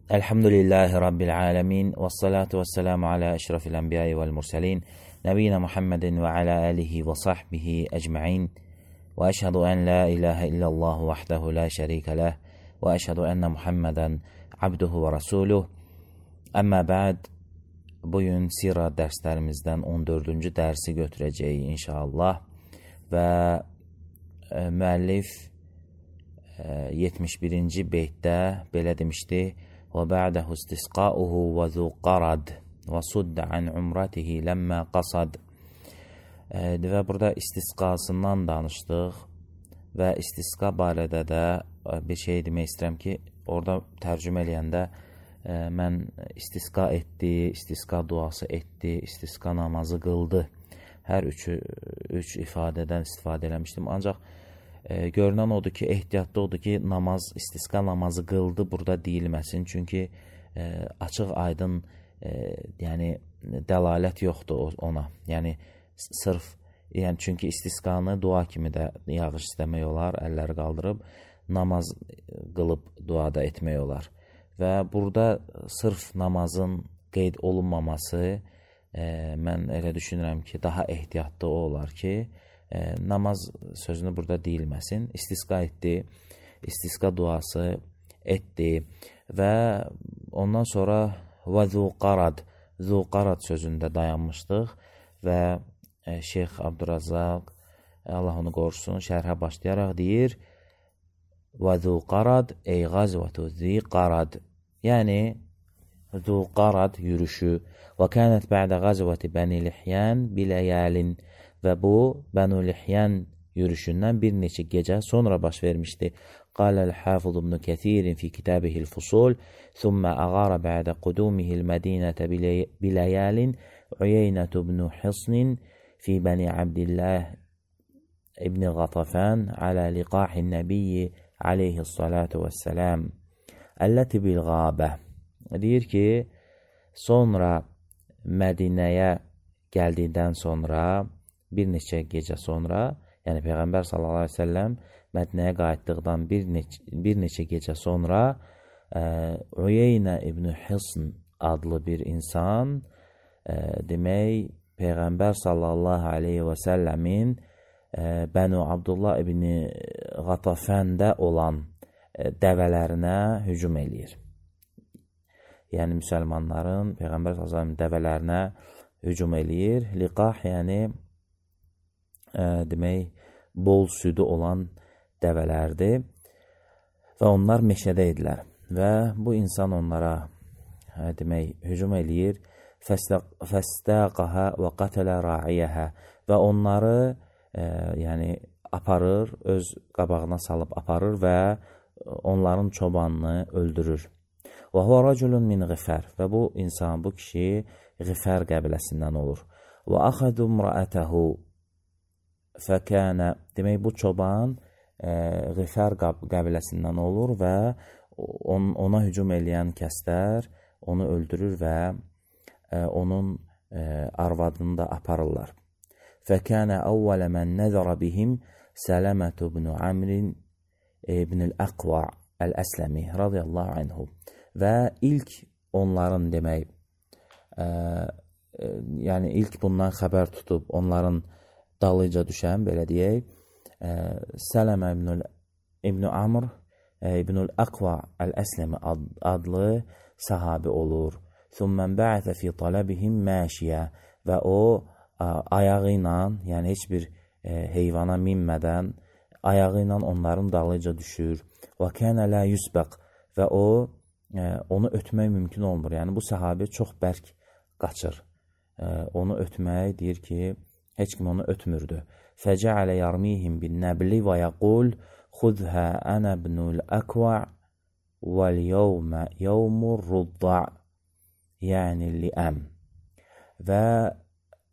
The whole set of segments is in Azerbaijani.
Elhamdülillahi Rabbil alemin. Və salatu və selamu alə əşrafil ənbiyayı vəl mürsəlin. Nəbiyyina Muhammedin və alə əlihi və sahbihi əcməin. Və əşhədu ən la ilahə illallah vəhdəhu la şərikə ləh. Və əşhədu ənnə Muhammedən abduhu və rasuluh. Əmmə bə'd, bugün sirə dərslərimizdən 14-cü dərsi götürəcəyik inşallah. Və müəllif 71-ci beytdə belə demişdi: وَبَعْدَهُ اسْتِسْقَاؤُهُ وَذُو قَرَدْ وَصُدَّ عَنْ عُمْرَتِهِ لَمَّا قَصَدْ. Və burada istisqasından danışdıq və istisqa barədə də bir şey demək istəyirəm ki, orada tərcümə eləyəndə mən istisqa etdi, istisqa duası etdi, istisqa namazı qıldı. Hər üç ifadədən istifadə eləmişdim. Ancaq görünən odur ki, ehtiyatlı odur ki, istisqa namazı qıldı burada deyilməsin. Çünki açıq aydın yəni dəlalət yoxdur ona. Yəni çünki istisqanı dua kimi də yağış istəmək olar, əlləri qaldırıb namaz qılıb duada etmək olar. Və burada sırf namazın qeyd olunmaması mən elə düşünürəm ki, daha ehtiyatlı o olar ki, namaz sözünü burada deyilməsin. İstisqa etdi, istisqa duası etdi və ondan sonra və zu qarad sözündə dayanmışdıq və Şeyx Abdurrazzaq, Allah onu qorusun, şərhə başlayaraq deyir: və zu qarad ey qazvətu zi qarad, yəni zu qarad yürüşü. Və kənət bə'də qazvəti Bəni Lihyan biləyəlin, və bu Bənu Lihyan yürüşündən bir neçə gecə sonra baş vermişdi. Qaləl Hafız ibn Kəsirin fi kitabihil Fusul, thumma ağara bə'də qudumihi'l Mədinətə biləyəlin Uyeynət ibn Hisnin fi Bəni Abdillah ibn Qatafan alə liqahin nəbiyyi aleyhissalatu vəssələm əlləti bil qabə. Deyir ki, sonra Mədinəyə gəldikdən sonra, bir neçə gecə sonra, yəni Peyğəmbər sallallahu aleyhi ve selləm Mədinəyə qayıtdıqdan bir neçə gecə sonra Uyeynə ibn Hisn adlı bir insan demək Peyğəmbər sallallahu aleyhi ve selləmin Bənu Abdullah ibn Qatafəndə olan dəvələrinə hücum eləyir. Yəni müsəlmanların Peyğəmbər sallallahu aleyhi ve sellem dəvələrinə hücum eləyir. Liqah yəni demək bol südü olan dəvələrdir və onlar meşədə idilər və bu insan onlara demək hücum eləyir. Fəstəqəhə və qətələ ra'iyəhə, və onları yəni aparır, öz qabağına salıb aparır və onların çobanını öldürür. Və huvə rəculun min Ğifər, və bu insan, bu kişi Ğifər qəbiləsindən olur. Və axədu mra'ətəhu fəkənə, demək bu çoban Ğifər qəbiləsindən olur və ona hücum eləyən kəslər onu öldürür və onun arvadını da aparırlar. Fəkənə əvvələ mən nəzərə bihim Sələmət ibn Amrin ibn Əqva Əl-Əsləmi radiyallahu anhu. Və ilk onların demək, yəni ilk bundan xəbər tutub onların dalıca düşən, belə deyək, Sələmə ibn Amr ibn Əqva Əl-Əsləmi adlı sahabi olur. Thumman ba'atha fi talabihim mashiya, və o ayağı ilə, yəni heç bir heyvana minmədən ayağı ilə onların dalıca düşür. Və kana la yusbaq, və onu ötmək mümkün olmur. Yəni bu sahabi çox bərk qaçır. Onu ötmək deyir ki, heç kim onu ötmürdü. Fəcəalə yarmihim bin nəbli və yəqul xudhə ənə ibnul əkva vəl yevmə yevmur rudda, yəni liəm. Və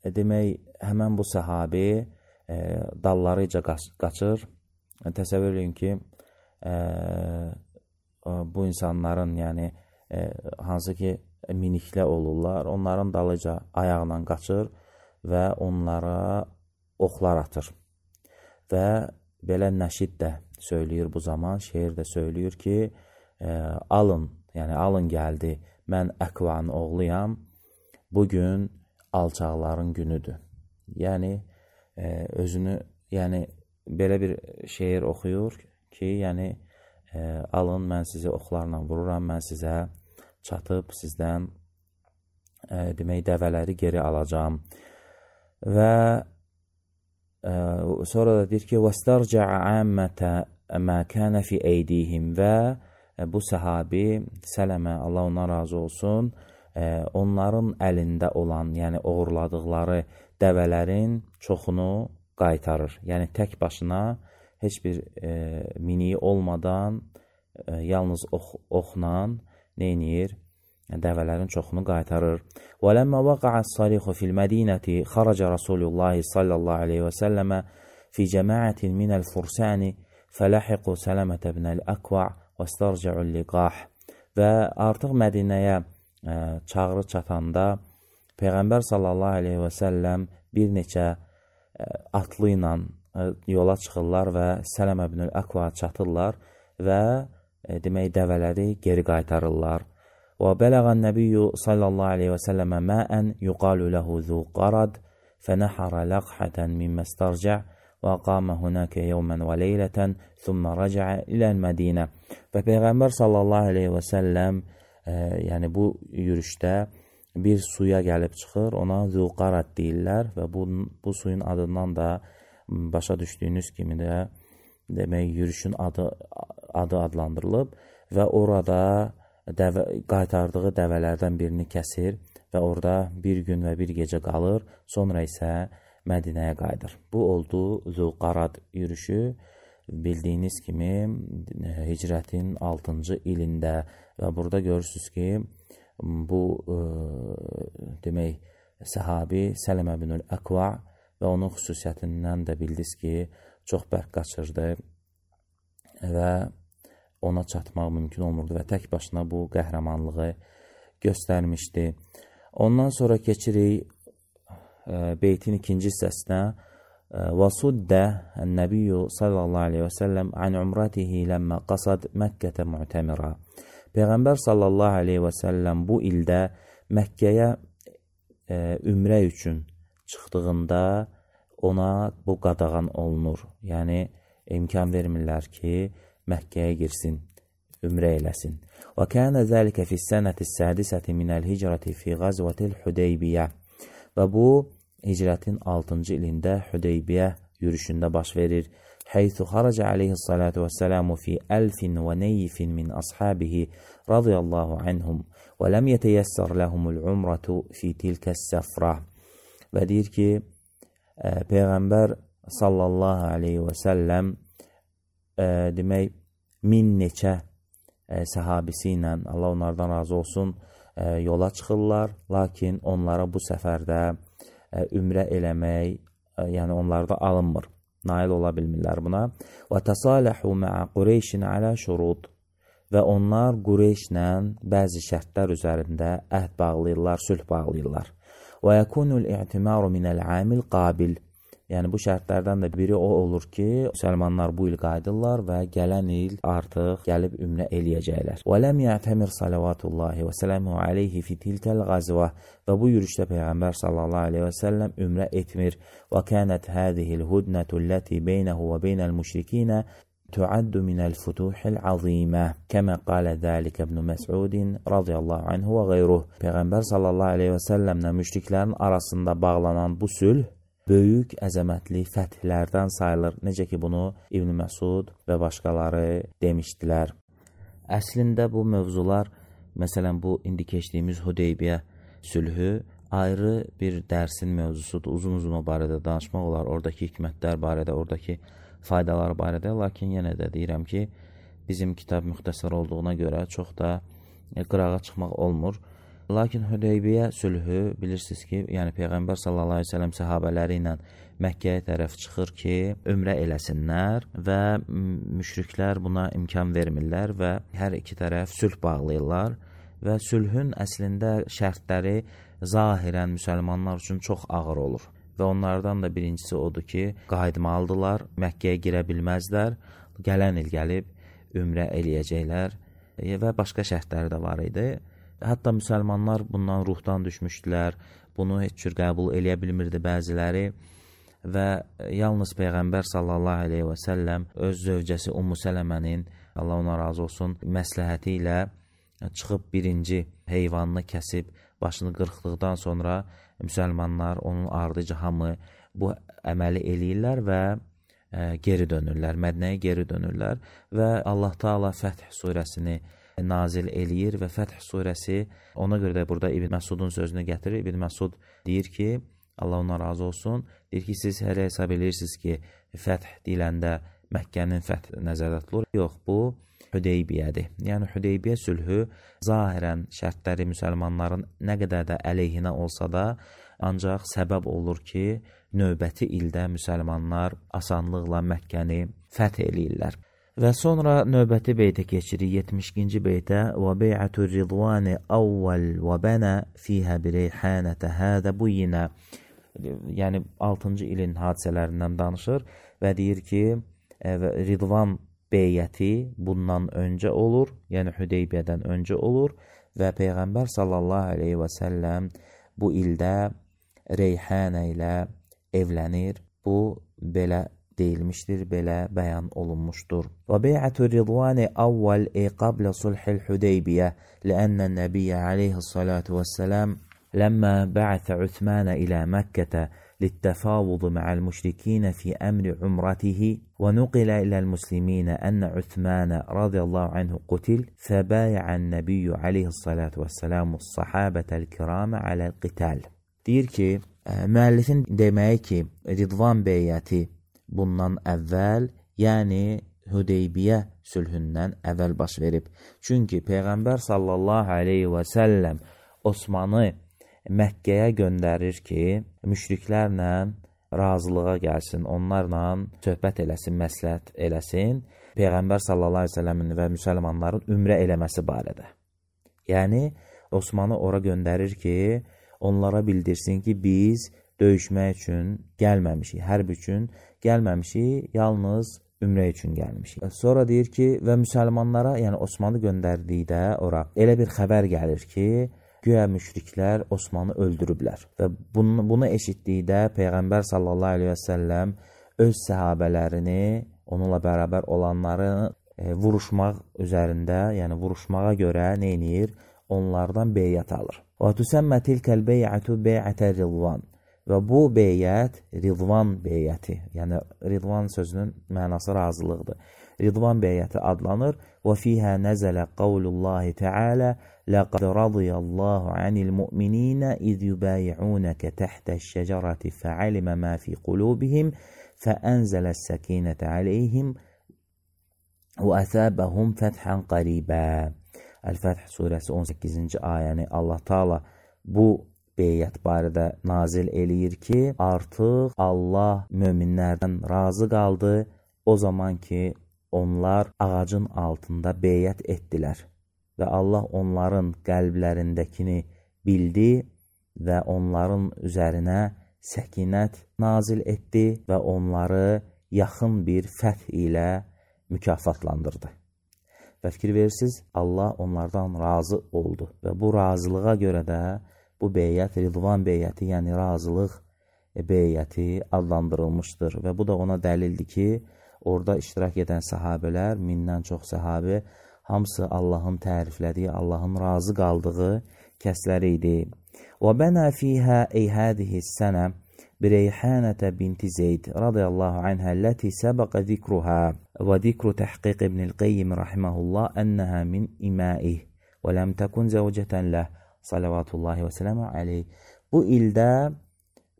demək, həmən bu sahabi dallarıca qaçır. Təsəvvür edin ki, bu insanların, yəni hansı ki miniklə olurlar, onların dalıca ayaqla qaçır və onlara oxlar atır. Və belə nəşid də söyləyir bu zaman, şeir də söyləyir ki, alın, yəni yəni alın gəldi, mən Əqvanın oğluyam, bugün alçaqların günüdür. Yəni, özünü, yəni, belə bir şeir oxuyur ki, yəni, alın, mən sizi oxlarla vururam, mən sizə çatıb, sizdən demək, dəvələri geri alacam. Və sonra da deyir ki, وَاسْتَرْجَعَ عَامَّةَ مَا كَانَ فِي اَيْدِيهِمْ və bu səhabi, Sələmə, Allah ona razı olsun, onların əlində olan, yəni oğurladıqları dəvələrin çoxunu qaytarır. Yəni, tək başına heç bir miniyi olmadan, yalnız oxla neynir? Dəvələrin çoxunu qaytarır. وَلَمَّا وَقَعَ الصَّرِيخُ فِي الْمَدِينَةِ خَرَجَ رَسُولُ اللّٰهِ صَلَّى اللّٰهِ عَلَيْهِ وَسَلَّمَ فِي جَمَاعَةٍ مِنَ الْفُرْسَانِ فَلَحِقُوا سَلَمَةَ بْنَ الْأَكْوَعِ وَاسْتَرْجَعُوا اللِّقَاحِ Və artıq Mədinəyə çağrı çatanda Peyğəmbər sallallahu aleyhi və səlləm bir neçə atlı ilə yola çıxırlar və Sələmə ibn Əqva çatırlar və demək, dəvələri geri qaytarırlar. وبلغ النبي صلى الله عليه وسلم ماء يقال له ذو قرد فنحر لقحة مما استرجع وقام هناك يوما وليلة ثم رجع إلى المدينة Və Peyğəmbər sallallahu aleyhi və səlləm yəni bu yürüşdə bir suya gəlib çıxır, ona Zul Qarad deyirlər və bu suyun adından da başa düşdüyünüz kimi də demək, yürüşün adı adlandırılıb və orada qaytardığı dəvələrdən birini kəsir və orada bir gün və bir gecə qalır, sonra isə Mədinəyə qayıdır. Bu oldu Zülqarad yürüşü, bildiyiniz kimi hicrətin 6-cı ilində və burada görürsünüz ki, bu demək, səhabi Sələmə ibn Əqva və onun xüsusiyyətindən də bildiniz ki, çox bərk qaçırdı və ona çatmaq mümkün olmurdu və tək başına bu qəhrəmanlığı göstərmişdi. Ondan sonra keçirik beytin ikinci hissəsinə. وَصُدَّ النَّبِيُّ صَلَّى اللّٰهُ عَلَيْهِ وَسَلَّمْ عَنْ عُمْرَتِهِ لَمَّا قَصَدْ مَكَّةَ مُعْتَمِرًا Peyğəmbər sallallahu aleyhi və səlləm bu ildə Məkkəyə ümrə üçün çıxdığında ona bu qadağan olunur. Yəni, imkan vermirlər ki, Məkkəyə girsin, ümrə eləsin. وَكَانَ ذَلِكَ فِي السَّنَةِ السَّادِسَةِ مِنَ الْهِجْرَةِ فِي غَزْوَةِ الْحُدَيْبِيَّةِ Və bu, hicrətin 6-cı ilində Hüdeybiyyə yürüşündə baş verir. حَيْثُ خَرَجَ عَلَيْهِ الصَّلَاةُ وَالسَّلَامُ فِي أَلْفٍ وَنَيِّفٍ مِنْ أَصْحَابِهِ رَضِيَ اللّٰهُ عَنْهُمْ وَلَمْ يَتَيَسَّرْ لَهُمُ الْعُمْرَةُ فِي تِلْكَ السَّفْرَةِ Və deyir ki, Peyğəmbər sallallahu aleyhi və səlləm demək, 1000 neçə səhabisi ilə, Allah onlardan razı olsun, yola çıxırlar, lakin onlara bu səfərdə ümrə eləmək, yəni onlarda alınmır, nail ola bilmirlər buna. وَتَصَالَحُوا مَعَ قُرَيْشٍ عَلَى شُرُوطٍ Və onlar Qureyşlə bəzi şərtlər üzərində əhd bağlayırlar, sülh bağlayırlar. وَيَكُونُ الْاِعْتِمَارُ مِنَ الْعَامِ الْقَابِلِ Yəni bu şərtlərdən də biri o olur ki, müsəlmanlar bu il qayıdırlar və gələn il artıq gəlib ümrə eləyəcəklər. وَلَمْ يَعْتَمِرْ صَلَوَاتُ اللّٰهِ وَسَلَامُهُ عَلَيْهِ فِي تِلْكَ الْغَزْوَةِ Və bu yürüşdə Peyğəmbər sallallahu aleyhi və səlləm ümrə etmir. وَكَانَتْ هَذِهِ الْهُدْنَةُ الَّتِي بَيْنَهُ وَبَيْنَ الْمُشْرِكِينَ تُعَدُّ مِنَ الْفُتُوحِ الْعَظِيمَةِ كَمَا قَالَ ذَلِكَ ابْنُ مَسْعُودٍ رَضِيَ اللّٰهُ عَنْهُ وَغَيْرُهُ Peyğəmbər sallallahu aleyhi və səlləmlə müşriklərin arasında bağlanan bu sülh böyük əzəmətli fəthlərdən sayılır. Necə ki, bunu İbn Məsud və başqaları demişdilər. Əslində bu mövzular, məsələn, bu indi keçdiyimiz Hüdeybiyyə sülhü ayrı bir dərsin mövzusudur. Uzun-uzun o barədə danışmaq olar, oradakı hikmətlər barədə, oradakı faydalar barədə. Lakin yenə də deyirəm ki, bizim kitab müxtəsər olduğuna görə çox da qırağa çıxmaq olmur. Lakin Hüdeybiyyə sülhü bilirsiniz ki, yəni Peyğəmbər sallallahu aleyhi ve sellem səhabələri ilə Məkkəyə tərəf çıxır ki, ümrə eləsinlər və müşriklər buna imkan vermirlər və hər iki tərəf sülh bağlayırlar və sülhün əslində şərtləri zahirən müsəlmanlar üçün çox ağır olur. Və onlardan da birincisi odur ki, qayıtmalıdırlar, Məkkəyə girə bilməzlər, gələn il gəlib ümrə eləyəcəklər və başqa şərtləri də var idi. Hətta müsəlmanlar bundan ruhdan düşmüşdülər, bunu heç cür qəbul eləyə bilmirdi bəziləri və yalnız Peyğəmbər sallallahu aleyhi və səlləm öz zövcəsi Ummu Sələmənin, Allah ona razı olsun, məsləhəti ilə çıxıb birinci heyvanını kəsib, başını qırxdıqdan sonra müsəlmanlar, onun ardıcı hamı bu əməli eləyirlər və geri dönürlər, Mədinəyə geri dönürlər və Allah Taala Fəth surəsini nazil eləyir və Fəth surəsi, ona görə də burada İbn Məsudun sözünü gətirir. İbn Məsud deyir ki, Allah ona razı olsun, deyir ki, siz hələ hesab edirsiniz ki, Fəth deyiləndə Məkkənin fəth nəzərdə tutulur. Yox, bu Hüdeybiyədir. Yəni Hüdeybiyə sülhü zahirən şərtləri müsəlmanların nə qədər də əleyhinə olsa da, ancaq səbəb olur ki, növbəti ildə müsəlmanlar asanlıqla Məkkəni fəth eləyirlər. Və sonra növbəti beytə keçirik, 72-ci beytə. Və bey'atu ridvani awwal və bana fiha bireyhanata hada buyina. Yəni 6-cı ilin hadisələrindən danışır və deyir ki, Ridvan beyyəti bundan öncə olur, yəni Hüdeybiyədən öncə olur və Peyğəmbər sallallahu aleyhi və səlləm bu ildə Reyhanə ilə evlənir. Bu belə deyilmişdir, belə bəyan olunmuşdur. Və bey'atu ridvani awwal qabla sulhil Hüdeybiyə ləənnə nəbiyyə aleyhissalatu vəssələm ləmmə bə'ətə Uthmanə ilə Məkkətə للتفاوض مع المشركين في أمر عمرته ونقل إلى المسلمين أن عثمان رضي الله عنه قتل فبايع النبي عليه الصلاة والسلام الصحابة الكرام على القتال. Deyir ki, müəllifin deməyi ki, Ridvan beyyəti bundan əvvəl, yəni Hüdeybiyə sülhündən əvvəl baş verib. Çünki Peyğəmbər sallallahu aleyhi və səlləm Osmanı Məkkəyə göndərir ki, müşriklərlə razılığa gəlsin, onlarla söhbət eləsin, məsləhət eləsin, Peyğəmbər sallallahu aleyhi ve səlləmin və müsəlmanların ümrə eləməsi barədə. Yəni, Osmanı ora göndərir ki, onlara bildirsin ki, biz döyüşmək üçün gəlməmişik, hərb üçün gəlməmişik, yalnız ümrə üçün gəlmişik. Sonra deyir ki, və müsəlmanlara, yəni Osmanı göndərdikdə ora elə bir xəbər gəlir ki, güya müşriklər Osmanı öldürüblər. Və bunu eşitdikdə Peyğəmbər sallallahu aleyhi və səlləm öz səhabələrini, onunla bərabər olanları vuruşmaq üzərində, yəni vuruşmağa görə neynir? Onlardan beyyət alır. Və tüsəmmə tilkəl bey'atu bey'ətə Ridvan. Və bu beyyət Ridvan beyyəti, yəni Ridvan sözünün mənası razılıqdır. Ridvan beyyəti adlanır. Və fiyhə nəzələ qavlullahi təalə لقد رضي الله عن المؤمنين إذ يبايعونك تحت الشجرة فعلم ما في قلوبهم فأنزل السكينة عليهم وأثابهم فتحا قريبا. El-Fəth surəsi 18-ci ayəni Allah Taala bu beyyət barədə nazil eləyir ki, artıq Allah möminlərdən razı qaldı o zaman ki, onlar ağacın altında beyyət etdilər. Və Allah onların qəlblərindəkini bildi və onların üzərinə səkinət nazil etdi və onları yaxın bir fəth ilə mükafatlandırdı. Və fikir verirsiniz, Allah onlardan razı oldu və bu razılığa görə də bu beyyət Ridvan beyyəti, yəni razılıq beyyəti adlandırılmışdır və bu da ona dəlildir ki, orada iştirak edən səhabələr, 1000-dən çox səhabə, hamısı Allahın təriflədiyi, Allahın razı qaldığı kəsləri idi. Və bənə fiyhə hadihi sənə bireyhanətə binti Zeyd radiyallahu anhə ləti səbəqə zikruhə və zikru təhqiq İbn-i Qeyyim rahiməhullah ənəhə min iməih və ləm təkun zəvcətən ləh salavatullahi və sələmə aleyh. Bu ildə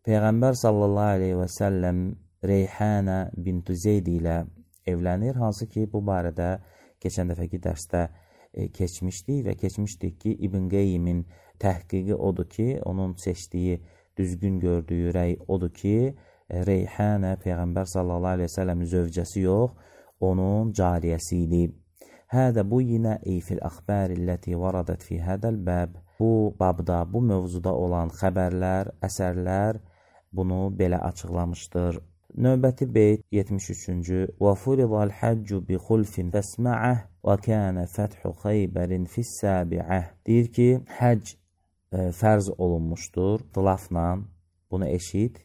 Peyğəmbər sallallahu aleyhi və səlləm Reyhanə binti Zeyd ilə evlənir, hansı ki, bu barədə keçən dəfəki dərsdə keçmişdik və keçmişdik ki, İbn Qeyyimin təhqiqi odur ki, onun seçdiyi, düzgün gördüyü rəy odur ki, Reyhanə Peyğəmbər sallallahu aleyhi ve səlləmin zövcəsi yox, onun cariyəsi idi. Hədə bu yinə fil əxbərilləti varadət fi hədəl bəb. Bu babda, bu mövzuda olan xəbərlər, əsərlər bunu belə açıqlamışdır. Növbəti beyt 73-cü. Və furidal həccu bi xulfin fəsma'ah və kənə fəthu xeybərin fis-səbi'ah. Deyir ki, həcc fərz olunmuşdur xilafla, bunu eşit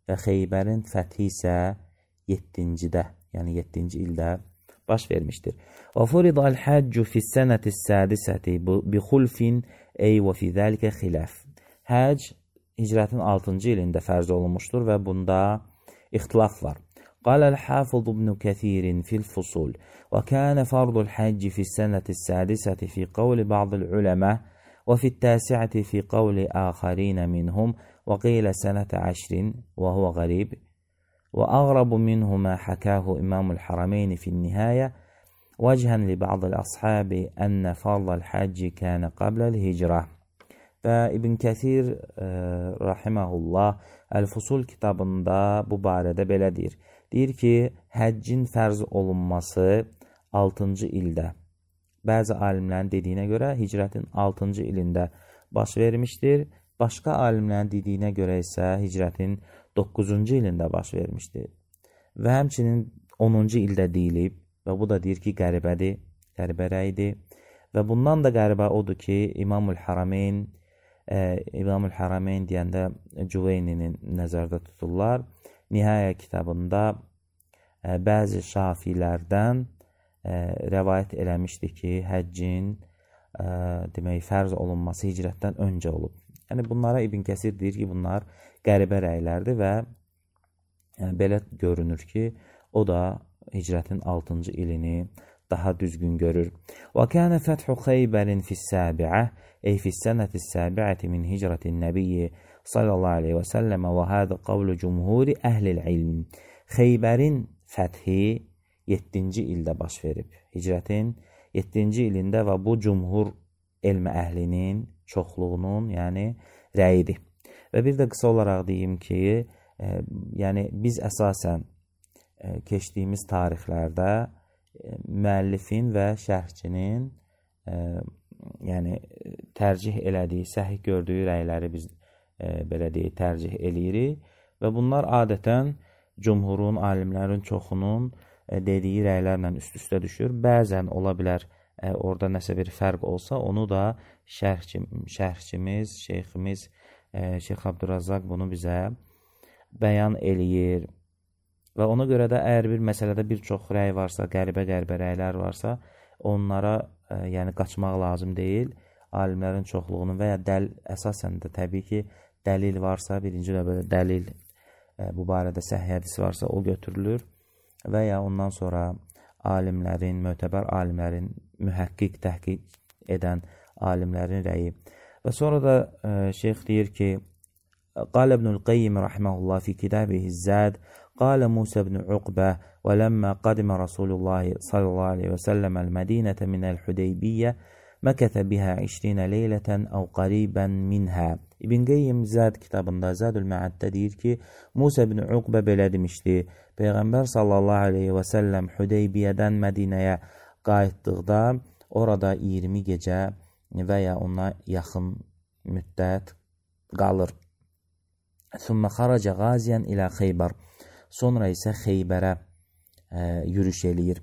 və Xeybərin fəthi isə 7-cidə, yəni 7-ci ildə baş vermişdir. Və furidal həccu fis-sənətis-sədisəti bi xulfin ey və fi zəlikə xilaf. Həcc hicrətin 6-cı ilində fərz olunmuşdur və bunda ixtilaf var. Qaləl Hafız ibn Kəthir fil fusul və kənə fardul həcci fis-sənətis-sədisəti fi qavli ba'dil uləmə və fit-təsi'əti fi qavli āxarin minhum və qilə sənətə 10 və huvə qarib və əğrabu minhu mə həkəhu İmamul Harameyn fin-nihaya vəcən li ba'dil əshabi ənə fardul həcci kənə qabləl hicrə. Və İbn Kəthir rahiməhullah Əl-Fusul kitabında bu barədə belə deyir. Deyir ki, həccin fərz olunması 6-cı ildə. Bəzi alimlərin dediyinə görə hicrətin 6-cı ilində baş vermişdir. Başqa alimlərin dediyinə görə isə hicrətin 9-cu ilində baş vermişdir. Və həmçinin 10-cu ildə deyilib və bu da deyir ki, qəribədir, qəribə rəydir. Və bundan da qəribə odur ki, İmamul Harameyn deyəndə Cüveyninin nəzərdə tuturlar. Nihayə kitabında bəzi şafilərdən rəvayət eləmişdi ki, həccin demək, fərz olunması hicrətdən öncə olub. Yəni, bunlara İbn Kəsir deyir ki, bunlar qəribə rəylərdir və belə görünür ki, o da hicrətin 6-cı ilini daha düzgün görür. Və kənə fəthu Xeybərin fis-səbi'ə ey fis-sənətis-səbi'əti min hicrətin nəbiyyi sallallahu aleyhi və səlləmə və hədə qavlu cumhuri əhlil ilm. Xeybərin fəthi 7-ci ildə baş verib. Hicrətin 7-ci ilində və bu cumhur elm əhlinin çoxluğunun, yəni rəyidir. Və bir də qısa olaraq deyim ki, yəni biz əsasən keçdiyimiz tarixlərdə müəllifin və şərhçinin yəni tərcih elədiyi, səhih gördüyü rəyləri biz belə deyək, tərcih eləyirik və bunlar adətən cumhurun, alimlərin çoxunun dediyi rəylərlə üst-üstə düşür. Bəzən ola bilər orada nəsə bir fərq olsa, onu da şərhçimiz, şeyximiz Şeyx Abdurrazzaq bunu bizə bəyan eləyir. Və ona görə də əgər bir məsələdə bir çox rəy varsa, qəribə rəylər varsa, onlara yəni qaçmaq lazım deyil. Alimlərin çoxluğunun və ya əsasən də təbii ki, dəlil varsa, birinci növbədə dəlil bu barədə səhih hədis varsa, o götürülür və ya ondan sonra alimlərin, mötəbər alimlərin, mühəqqiq, təhqiq edən alimlərin rəyi. Və sonra da şeyx deyir ki, قال ابن القيم رحمه الله في كتابه الزاد قال موسى بن عقبة ولما قدم رسول الله صلى الله عليه وسلم المدينة من الحديبية مكث بها 20 ليلة أو قريبا منها. İbn Qeyyim Zəd kitabında Zədül Məəddə deyir ki, Musa ibn Uqbə belə demişdi. Peyğəmbər sallallahu aleyhi və səlləm Hüdeybiyədən Mədinəyə qayıtdıqda orada 20 gecə və ya ona yaxın müddət qalır. Sümmə xaraca qaziyan ilə Xeybar. Sonra isə Xeybərə yürüş eləyir.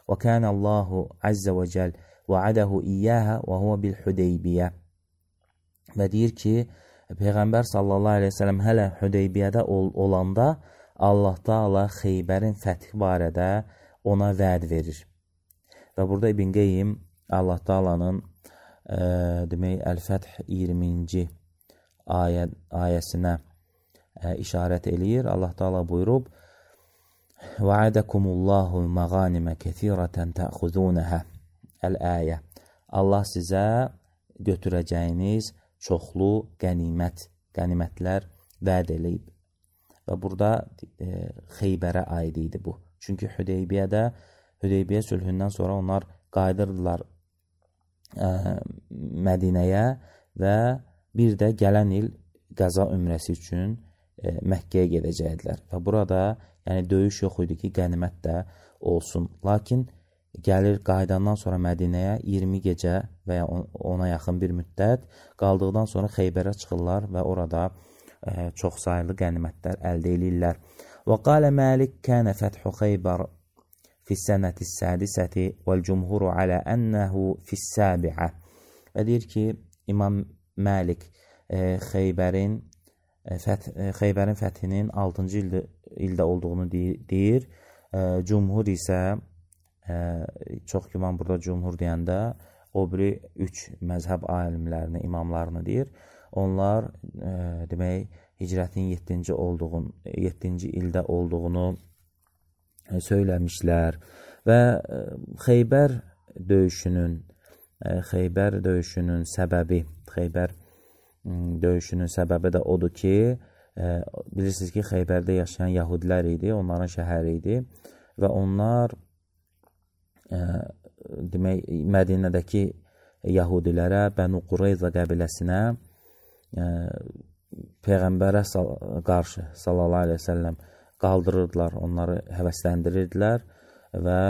Və kənə Allahu əzzə və cəl vəədəhu iyyəhə və huvə bil-Hüdeybiyyə. Və deyir ki, Peyğəmbər sallallahu aleyhi ve sellem hələ Hüdeybiyədə olanda Allah Taala Xeybərin fəthi barədə ona vəd verir. Və burada İbn Qeyyim Allah Taalanın demək Əl-Fəth 20-ci ayəsinə işarət eləyir. Allah Taala buyurub: "Va'adakumullahu mağanimə kəsirətən təxuzunəhə." Əl-ayə. Allah sizə götürəcəyiniz çoxlu qənimətlər vəd eləyib. Və burada Xeybərə aid idi bu. Çünki Hüdeybiyyə sülhündən sonra onlar qayıdırdılar Mədinəyə və bir də gələn il qəza ümrəsi üçün Məkkəyə gedəcəkdilər. Və burada yəni döyüş yox idi ki, qənimət də olsun. Lakin gəlir qayıdandan sonra Mədinəyə 20 gecə və ya ona yaxın bir müddət qaldıqdan sonra Xeybərə çıxırlar və orada çox sayılı qənimətlər əldə edirlər. وقال مالك كان فتح خيبر في السنة السادسة والجمهور على أنه في السابعة. Deyir ki, İmam Malik Xeybərin fəthinin 6-cı ildə olduğunu deyir. Cumhur isə, çox güman burada cumhur deyəndə, o biri 3 məzhəb alimlərini, imamlarını deyir. Onlar demək, hicrətin 7-ci ildə olduğunu söyləmişlər və Xeybər döyüşünün səbəbi də odur ki, bilirsiniz ki, Xeybərdə yaşayan yahudilər idi, onların şəhəri idi və onlar demək, Mədinədəki yahudilərə, Bənu Qureyza qəbiləsinə Peyğəmbərə qarşı sallallahu aleyhi ve sellem qaldırırdılar, onları həvəsləndirirdilər və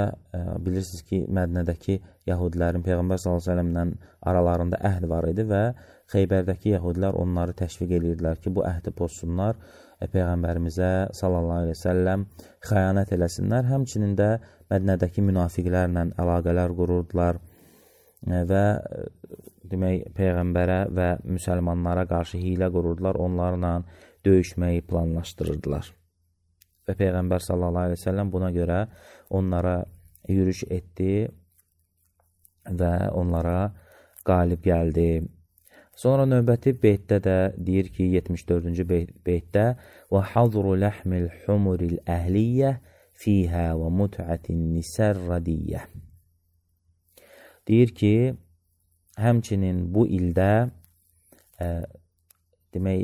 bilirsiniz ki, Mədinədəki yahudilərin Peyğəmbər sallallahu aleyhi ve sellemlə aralarında əhd var idi və Xeybərdəki yahudilər onları təşviq edirdilər ki, bu əhdi pozsunlar, Peyğəmbərimizə sallallahu aleyhi ve sellem xəyanət eləsinlər. Həmçinin də Mədinədəki münafiqlərlə əlaqələr qururdular və demək, Peyğəmbərə və müsəlmanlara qarşı hilə qururdular, onlarla döyüşməyi planlaşdırırdılar. Və Peyğəmbər sallallahu aleyhi ve sellem buna görə onlara yürüş etdi və onlara qalib gəldi. Sonra növbəti beytdə də deyir ki, 74-cü beytdə وَحَضْرُ لَحْمِ الْحُمُرِ الْأَهْلِيَّةِ فِيهَا وَمُتْعَةِ النِّسَى الرَّدِيَّةِ. Deyir ki, həmçinin bu ildə demək,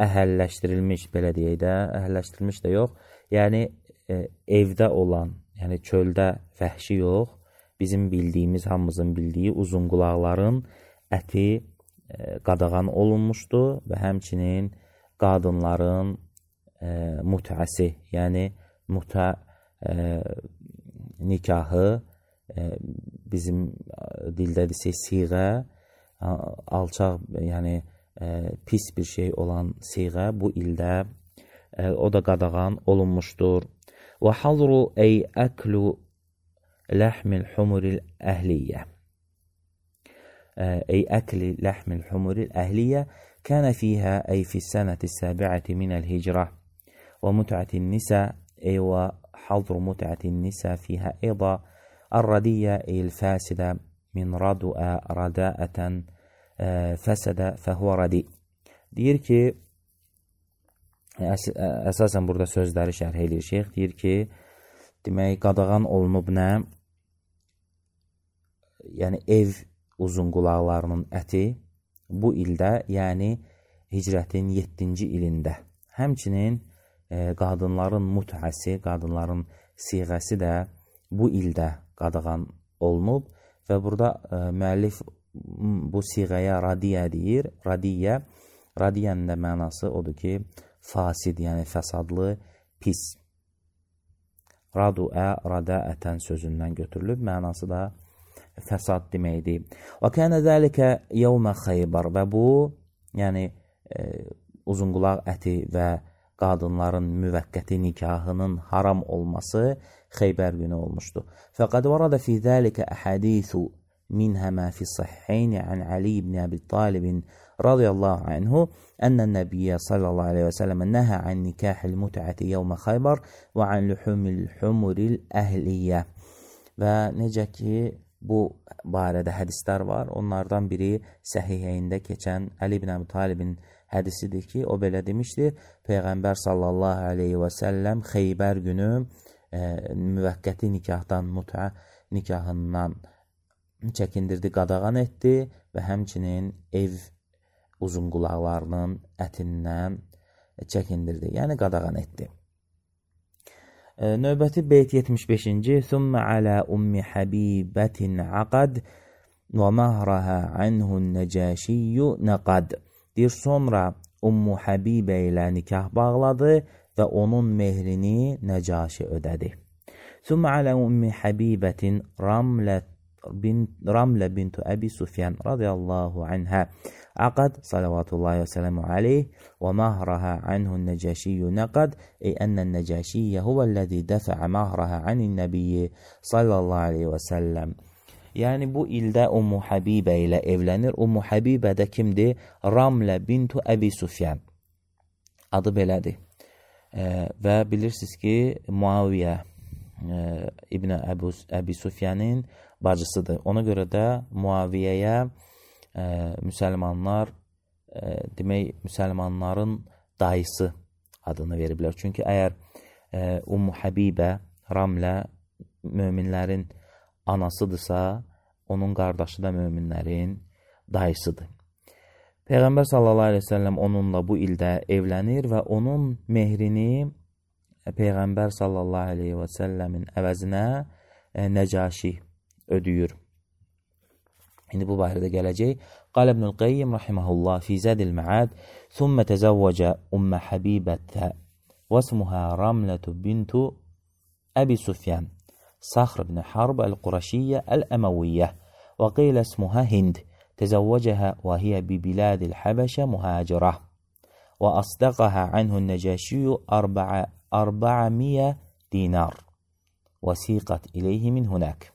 əhəlləşdirilmiş, belə deyək də, əhəlləşdirilmiş də yox, yəni evdə olan, yəni çöldə vəhşi yox, bizim bildiyimiz, hamımızın bildiyi uzun qulaqların əti qadağan olunmuşdu və həmçinin qadınların mütəəsi, yəni nikahı, bizim dildə desək siğə, alçaq, yəni pis bir şey olan siğə bu ildə o da qadağan olunmuşdur. Və hazru ey əklu ləhmil humuril əhliyyə. Ey əkli ləhmil humuril əhliyyə kənə fiyhə ey fissənəti səbiəti minəl hicrə və mütəətin nisə ey və hazru mütəətin nisə fiyhə eyda الردية الفاسدة من ردء رداءة فسد فهو ردي. Deyir ki, əsasən burada sözləri şərh edir şeyx, deyir ki, demək, qadağan olunub nə? Yəni, ev uzun qulaqlarının əti bu ildə, yəni hicrətin 7-ci ilində. Həmçinin qadınların mütəəsi, qadınların siğəsi də bu ildə qadağan olunub və burada müəllif bu siğəyə radiyə deyir. Radiyənin də mənası odur ki, fasid, yəni fəsadlı, pis. Raduə, radaətən sözündən götürülüb, mənası da fəsad deməkdir. Və kənə zəlikə yevmə Xeybar və bu, yəni uzunqulaq əti və qadınların müvəqqəti nikahının haram olması Xeybər günü olmuşdu. Fəqəd vərədə fi zəlikə əhədithu minhə mə fi səhhəyni ən Ali ibn Əbi Talibin radiyallahu anhu ənən nəbiyyə sallallahu aleyhi və sələmə nəhə ən nikahil mütəəti yevmə Xeybar və ən lühumil humuril əhliyyə. Və necə ki, bu barədə hədislər var. Onlardan biri Səhihəyində keçən Ali ibn Əbi Talibin hədisidir ki, o belə demişdir. Peyğəmbər sallallahu aleyhi və səlləm Xeybər günü müvəqqəti nikahdan, mütə nikahından çəkindirdi, qadağan etdi və həmçinin ev uzun qulaqlarının ətindən çəkindirdi, yəni qadağan etdi. Növbəti beyt 75-ci Thumma alə ummi Habibətin aqad və məhrəhə anhun nəcəşiyyü nəqad. Deyir, sonra Ummu Habibə ilə nikah bağladı və onun mehrini Nəcaşi ödədi. Thumma alə ummi Habibətin رملة بنت أبي سفيان رضي الله عنها عقد صلوات الله وسلامه عليه ومهرها عنه النجاشي نقد، أي أن النجاشي هو الذي دفع مهرها عن النبي sallallahu aleyhi ve sellem. Yəni bu ildə Ummu Habibə ilə evlənir. Ummu Habibə də kimdir? Ramlə bintu Əbi Sufyan. Adı belədir. Və bilirsiniz ki, Muaviyə İbn Əbi Sufyanın bacısıdır. Ona görə də Muaviyəyə müsəlmanlar demək müsəlmanların dayısı adını veriblər. Çünki əgər Ummu Habibə Ramlə möminlərin anasıdırsa, onun qardaşı da möminlərin dayısıdır. Peyğəmbər sallallahu aleyhi ve sellem onunla bu ildə evlənir və onun mehrini Peyğəmbər sallallahu aleyhi ve sellemin əvəzinə Nəcaşi ödüyür. İndi bu barədə gələcək. Qal İbnül Qayyim rahimehullah fi Zadil Ma'ad, thumma tezawwaca Ummu Habibə və ismuha Ramlatu bintu Əbi Sufyan صخر بن حرب القرشية الأموية، وقيل اسمها هند، تزوجها وهي ببلاد الحبشة مهاجرة، وأصدقها عنه النجاشي 400 دينار وسيقت إليه من هناك.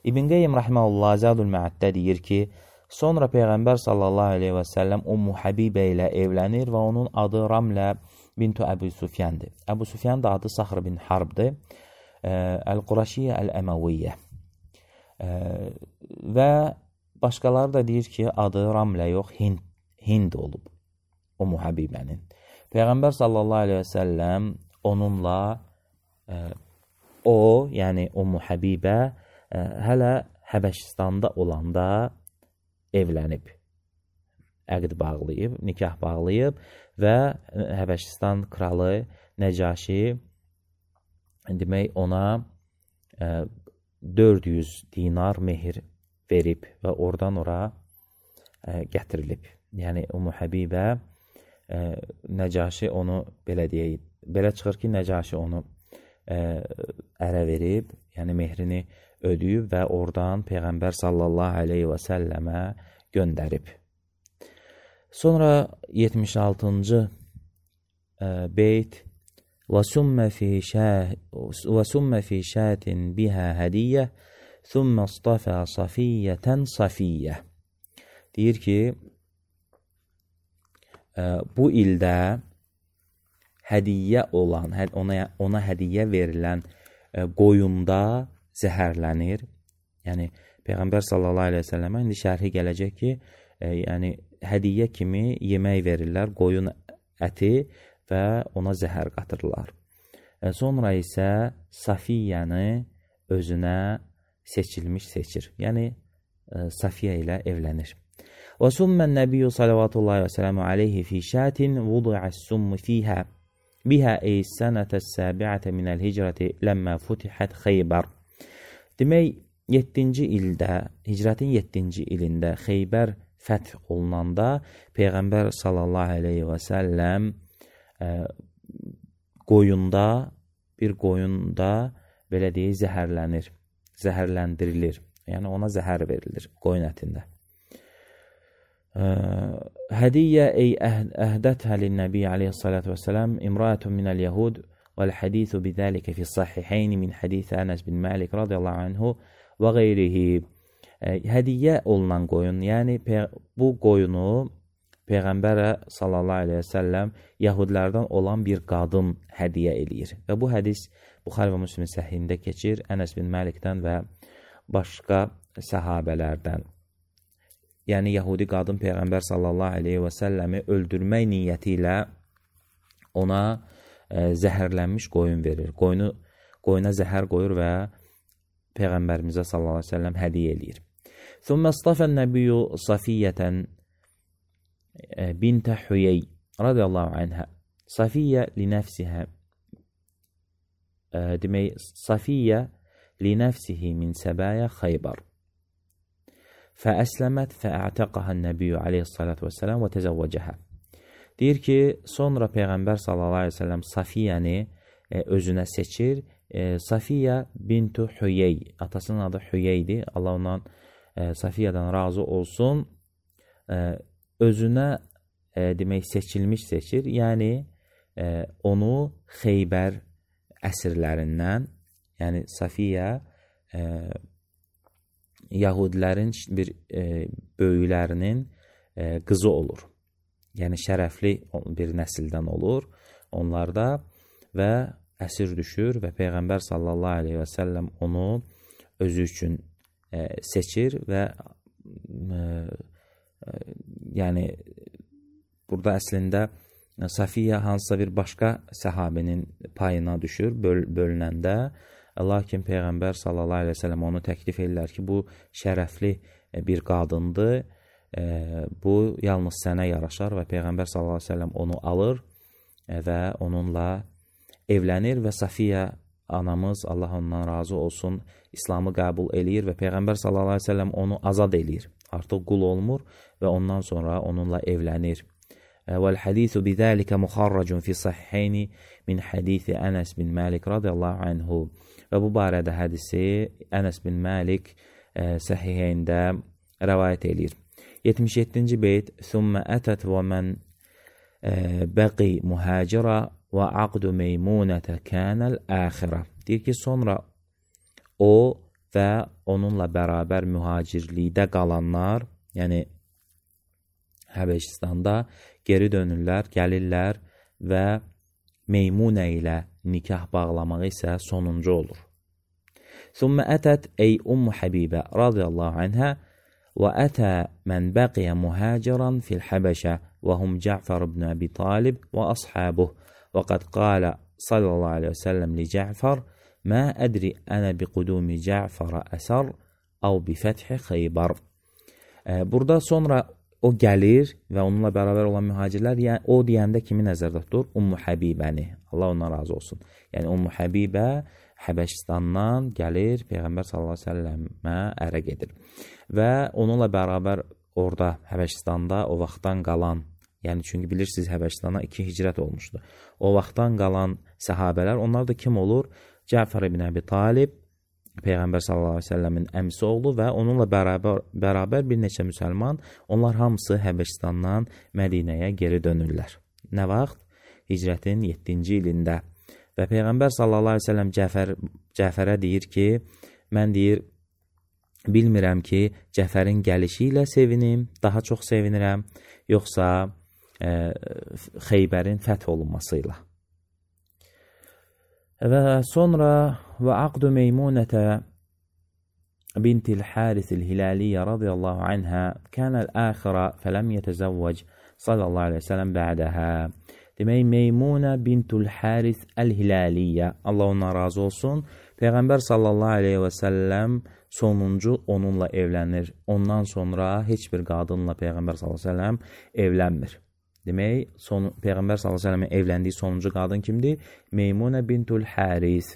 İbn Qayyim rahimehullah Zadul Ma'addə deyir ki, sonra Peyğəmbər sallallahu aleyhi və səlləm Ummu Habibə ilə evlənir və onun adı Ramlə bintu Əbu Sufyandır. Əbu Sufyan da adı Saxr bin Harbdır. Əl-Quraşiyyə Əl-Əməviyyə və başqaları da deyir ki, adı Ramlə yox, Hind olub Ummu Habibənin. Peyğəmbər sallallahu aleyhi və səlləm onunla yəni Ummu Habibə hələ Həbəşistanda olanda evlənib, əqd bağlayıb, nikah bağlayıb və Həbəşistan kralı Nəcaşi demək ona 400 dinar mehir verib və oradan ora gətirilib. Yəni Ummu Habibə Nəcaşi onu belə deyək, belə çıxır ki, Nəcaşi onu ərə verib, yəni mehrini ödəyib və oradan Peyğəmbər sallallahu aleyhi və səlləmə göndərib. Sonra 76-cı beyt وَسُمَّ فِي شَاتٍ بِهَا هَدِيَّةٍ ثُمَّ اصْطَفَى صَفِيَّةً صَفِيَّةً deyir ki, bu ildə hədiyyə olan, ona hədiyyə verilən qoyunda zəhərlənir. Yəni, Peyğəmbər sallallahu aleyhi ve səlləmə indi şərhi gələcək ki, yəni hədiyyə kimi yemək verirlər, qoyun əti və ona zəhər qatırlar. Sonra isə Safiyyəni özünə seçilmiş seçir. Yəni, Safiyyə ilə evlənir. Və summən nəbiyyü salavatullahi və sələmu aleyhi fi şətin vudu'əs-summu fiyhə bihə eys-sənətəs səbi'ətə minəl hicrəti ləmmə futihət Xeybər. Demək, 7-ci ildə, hicrətin 7-ci ilində Xeybər fəth olunanda Peyğəmbər sallallahu aleyhi və səlləm bir qoyunda belə deyək, zəhərləndirilir. Yəni ona zəhər verilir qoyun ətində. Hədiyyə ey əhdətə lin-nəbi aleyhissalatu vesselam imra'atun minəl yahud vəl-hədithu bidəlikə fi sahiheyni min hədith Ənəs bin Məlik radiyallahu anhu və qeyrihi. Hədiyyə olunan qoyun, yəni bu qoyunu Peyğəmbərə sallallahu aleyhi və səlləm yahudlərdən olan bir qadın hədiyyə eləyir. Və bu hədis Buxari və Müslim səhihində keçir Ənəs bin Məlikdən və başqa səhabələrdən. Yəni, yahudi qadın Peyğəmbər sallallahu aleyhi və səlləmi öldürmək niyyəti ilə ona zəhərlənmiş qoyun verir. Qoyuna zəhər qoyur və Peyğəmbərimizə sallallahu aleyhi və səlləm hədiyyə eləyir. ثُمَّ اصْطَفَى النَّبِيُّ صَفِيَّةً بنت حيي رضي الله عنها صفية لنفسها demək صفية لنفسه من سبايا خيبر فأسلمت فأعتقها النبي عليه الصلاة والسلام وتزوجها. Deyir ki, sonra Peyğəmbər sallallahu aleyhi ve sellem Safiyyəni özünə seçir Safiyə bintu Hüyey, atasının adı Hüyeydir. Allah ondan Safiyədən razı olsun. Özünə demək seçir. Yəni onu Xeybər əsirlərindən, yəni Safiyə Yahudilərin bir böyüklərinin qızı olur. Yəni şərəfli bir nəsildən olur onlarda və əsir düşür və Peyğəmbər sallallahu aleyhi və səlləm onu özü üçün seçir və yəni burada əslində Safiyə hansısa bir başqa səhabənin payına düşür bölünəndə, lakin Peyğəmbər sallallahu aleyhi və səlləm onu təklif edirlər ki, bu şərəfli bir qadındır, bu yalnız sənə yaraşar və Peyğəmbər sallallahu aleyhi və səlləm onu alır və onunla evlənir və Safiyə anamız, Allah ondan razı olsun, İslamı qəbul eləyir və Peyğəmbər sallallahu aleyhi və səlləm onu azad eləyir. Artıq qul olmur və ondan sonra onunla evlənir. وَالْحَدِيثُ بِذَٰلِكَ مُخَرَّجٌ فِي صَحِحَيْنِ مِنْ حَدِيثِ أَنَسْ بِنْ مَالِكَ رَضِيَ اللّٰهُ عَنْهُ. Və bu barədə hədisi Ənəs bin Məlik səhihəyində rəvayət edir. 77-ci beyt ثُمَّ أَتَتْ وَمَنْ بَقِي مُهَاجِرًا وَعَقْدُ مَيْمُونَةَ كَانَ الْآخِرَةِ. Deyir ki, sonra o və onunla bərabər mühacirlikdə qalanlar, yəni Həbəşistanda geri dönürlər, gəlirlər və Meymunə ilə nikah bağlamağı isə sonuncu olur. ثُمَّ أَتَتْ أَيْ أُمُّ حَبِيبَةَ رَضِيَ اللّٰهُ عَنْهَا وَأَتَى مَنْ بَقِيَ مُهَاجِرًا فِي الْحَبَشَةِ وَهُمْ جَعْفَرُ بْنُ أَبِي طَالِبٍ وَأَصْحَابُهُ وَقَدْ قَالَ صلى الله عليه وسلم لجعفر ما أدري أنا بقدوم جعفر أسر أو بفتح خيبر. Burada sonra o gəlir və onunla bərabər olan mühacirlər, yəni o deyəndə kimi nəzərdə tutur? Ummu Həbibəni. Allah ondan razı olsun. Yəni Ummu Həbibə Həbəşistandan gəlir, Peyğəmbər sallallahu əleyhi və səlləmə ərə gedir. Və onunla bərabər orada Həbəşistanda o vaxtdan qalan, yəni çünki bilirsiniz Həbəşistana 2 hicrət olmuşdu. O vaxtdan qalan səhabələr, onlar da kim olur? Cəfər ibn Əbi Talib, Peyğəmbər sallallahu əleyhi və səlləmin əmisi oğlu və onunla bərabər bir neçə müsəlman, onlar hamısı Həbəşistandan Mədinəyə geri dönürlər. Nə vaxt? Hicrətin 7-ci ilində. Və Peyğəmbər sallallahu əleyhi və səlləm Cəfərə deyir ki, mən deyir, bilmirəm ki, Cəfərin gəlişi ilə sevinim, daha çox sevinirəm, yoxsa Xeybərin fəth olunması ilə. Və sonra və aqdu Meymunətə bintil Harisil Hilaliyyə radiyallahu anhə kənəl əxirə fələm yətəzəvvəc sallallahu aleyhi və səlləm bə'dəhə. Demək, Meymunə bintul Haris Əl-Hilaliyyə, Allah ondan razı olsun, Peyğəmbər sallallahu aleyhi və səlləm sonuncu onunla evlənir. Ondan sonra heç bir qadınla Peyğəmbər sallallahu aleyhi və səlləm evlənmir. Demək, Peyğəmbər s.ə.v-in evləndiyi sonuncu qadın kimdir? Meymunə bintul Haris,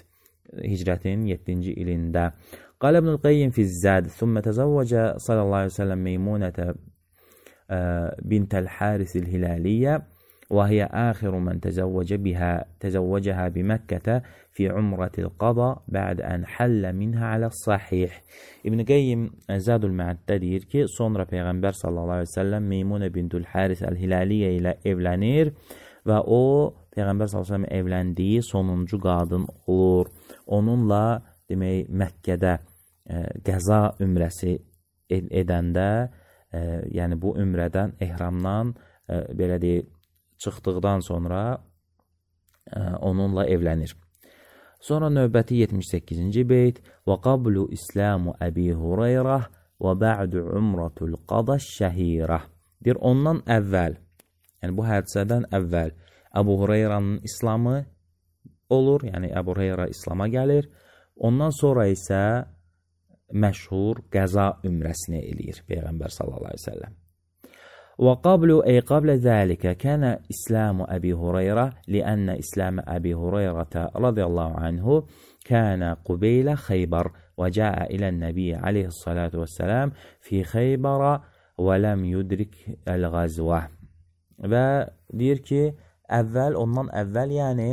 hicrətin 7-ci ilində. Qal İbnül Qayyim fizzəd, thümmə təzəvvəcə sallallahu aleyhi ve sellem Meymunətə bintəl Harisil Hilaliyyə və hiyə əxiru mən təzəvvəcəhə biməkkətə fi umratil qada bə'd ən həllə minhə aləs-sahih. İbn Qayyim Zədül Məəddə deyir ki, sonra Peyğəmbər sallallahu aleyhi ve sellem Meymunə bintul Haris Əl-Hilaliyyə ilə evlənir və o, Peyğəmbər sallallahu aleyhi ve sellem evləndiyi sonuncu qadın olur. Onunla, demək, Məkkədə qəza ümrəsi edəndə, yəni bu ümrədən, ehramdan, belə deyək, çıxdıqdan sonra onunla evlənir. Sonra növbəti 78-ci beyt və qablu İslamu Əbi Hüreyrə və bə'du umratul qada şəhirə. Deyir, ondan əvvəl, yəni bu hadisədən əvvəl Əbu Hüreyrənin İslamı olur, yəni Əbu Hüreyrə İslama gəlir. Ondan sonra isə məşhur qəza ümrəsini eləyir Peyğəmbər sallallahu aleyhi ve sellem. وقبل أي قبل ذلك كان إسلام أبي هريرة لأن إسلام أبي هريرة رضي الله عنه كان قبيل خيبر وجاء إلى النبي عليه الصلاة والسلام في خيبر ولم يدرك الغزوة. Və deyir ki, ondan əvvəl, yəni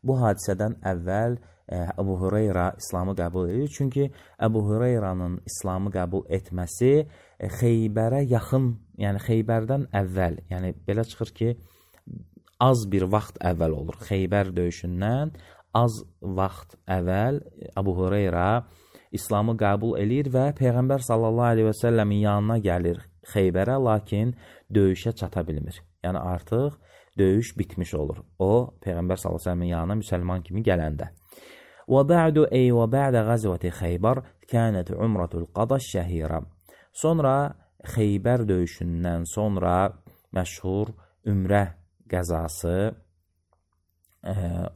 bu hadisədən əvvəl Əbu Hüreyra İslamı qəbul edir. Çünki Əbu Hüreyranın İslamı qəbul etməsi Xeybərə yaxın, yəni Xeybərdən əvvəl, yəni belə çıxır ki, az bir vaxt əvvəl olur. Xeybər döyüşündən az vaxt əvvəl Əbu Hüreyra İslamı qəbul edir və Peyğəmbər sallallahu aleyhi və səlləmin yanına gəlir Xeybərə, lakin döyüşə çata bilmir. Yəni artıq döyüş bitmiş olur. O, Peyğəmbər sallallahu aleyhi və səlləmin yanına müsəlman kimi gələndə. وَبَعْدُ أَيْ وَبَعْدَ غَزْوَةِ خَيْبَرْ كَانَتْ عُمْرَةُ الْقَضَى الشَّهِيرَةِ Sonra Xeybər döyüşündən sonra məşhur ümrə qəzası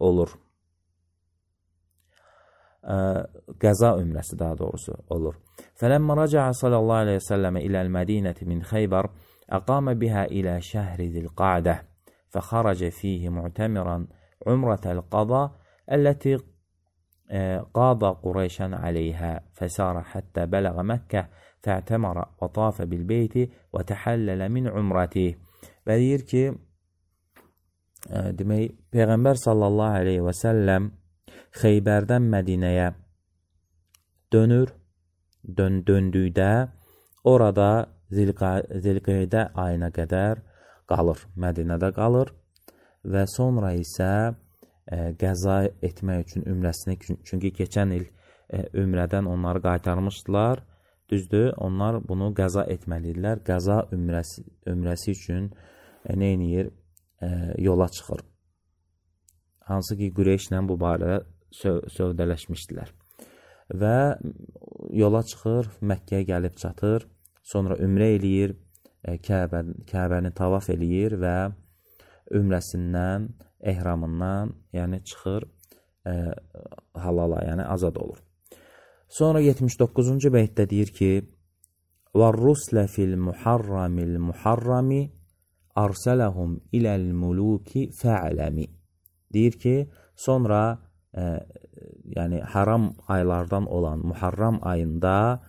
olur. Qəza ümrəsi daha doğrusu olur. فَلَمَّا رَجَعَ صَلَى الله عليه وسلم إلى المدينة من خيبر أقام بها إلى شهر ذي القعدة فخرج فيه معتمرا عمرة القضاء التي قاض قريشا عليها فسار حتى بلغ مكة فاعتمر وطاف بالبيت وتحلل من عمرته. Və deyir ki, demək, Peyğəmbər sallallahu aleyhi və səlləm Xeybərdən Mədinəyə dönür, döndükdə orada Zilqeydə ayına qədər qalır, Mədinədə qalır və sonra isə qəza etmək üçün ümrəsini, çünki keçən il ümrədən onları qaytarmışdılar, düzdür, onlar bunu qəza etməlidirlər, qəza ümrəsi üçün nə edir? Yola çıxır. Hansı ki, Qureyşlə bu barədə sövdələşmişdilər. Və yola çıxır, Məkkəyə gəlib çatır, sonra ümrə eləyir, Kəbəni tavaf eləyir və ümrəsindən, ehramından, yəni çıxır halala, yəni azad olur. Sonra 79-cu beytdə deyir ki, وَالرُّسْلَ فِي الْمُحَرَّمِ الْمُحَرَّمِ أَرْسَلَهُمْ إِلَى الْمُلُوكِ فَعْلَمِ Deyir ki, sonra yəni haram aylardan olan Muharram ayında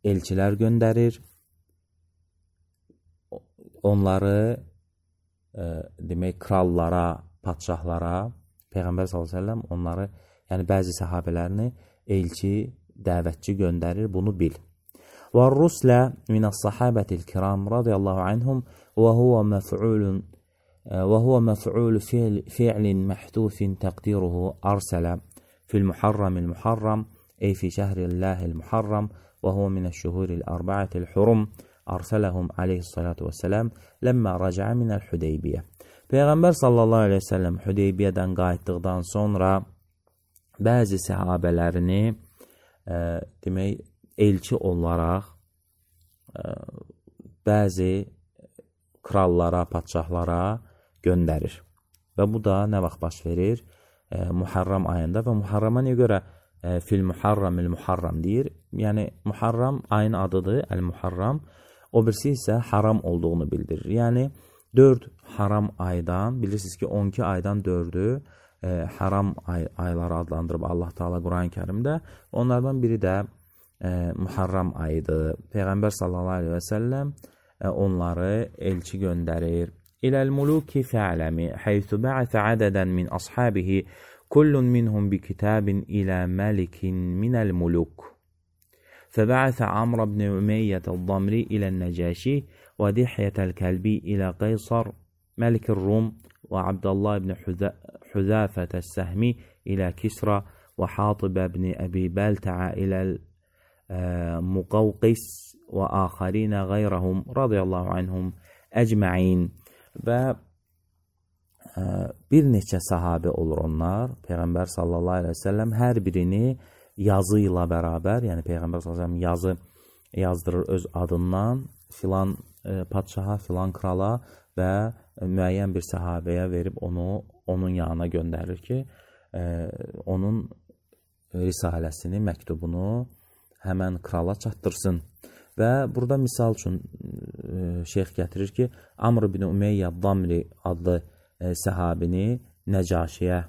elçilər göndərir, onları demək, krallara, padşahlara, Peyğəmbər s.ə.v onları, yəni bəzi səhabələrini elçi, dəvətçi göndərir, bunu bil. وَالرُّسْلَ مِنَ الصَّحَابَةِ الْكِرَامِ رَضِيَ اللّٰهُ عَنْهُمْ وهو مفعول فعل محذوف تقديره أرسل في المحرم المحرم أي في شهر الله المحرم وهو من الشهور الأربعة الحرم أرسلهم عليه الصلاة والسلام لما رجع من الحديبية. Peyğəmbər sallallahu aleyhi ve sellem Hüdeybiyədən qayıtdıqdan sonra bəzi səhabələrini demək, elçi olaraq bəzi krallara, padşahlara göndərir. Və bu da nə vaxt baş verir? Muharram ayında və Muharrama nə görə fil Muharram el-Muharram deyir? Yəni Muharram ayın adıdır, el-Muharram. O birisi isə haram olduğunu bildirir. Yəni 4 haram aydan, bilirsiniz ki 12 aydan 4'ü haram ayları adlandırıb Allah Teala Quran-ı Kerimdə. Onlardan biri də Muharram ayıdır. Peyğəmbər sallallahu aleyhi və səlləm onları elçi göndərir. İləl-muluki fə'ləmi həythu bə'əsə ədədən min ashabihi kullun minhum bi kitabin ilə məlikin minəl-muluk. فبعث عمرو بن أمية الضمري إلى النجاشي ودحية الكلبي إلى قيصر ملك الروم وعبد الله بن حذافة السهمي إلى كسرى وحاطب بن أبي بالتع إلى المقوقس وآخرين غيرهم رضي الله عنهم أجمعين. Və bir neçə sahabe olur onlar. Peyğəmbər sallallahu aleyhi ve sellem hər birini yazı ilə bərabər, yəni Peyğəmbər sallallahu aleyhi ve sellem yazı yazdırır öz adından filan padşaha, filan krala və müəyyən bir səhabəyə verib onun yanına göndərir ki, onun risaləsini, məktubunu həmən krala çatdırsın. Və burada misal üçün şeyx gətirir ki, Amr ibn Umeyyə Damri adlı səhabini Nəcaşiyə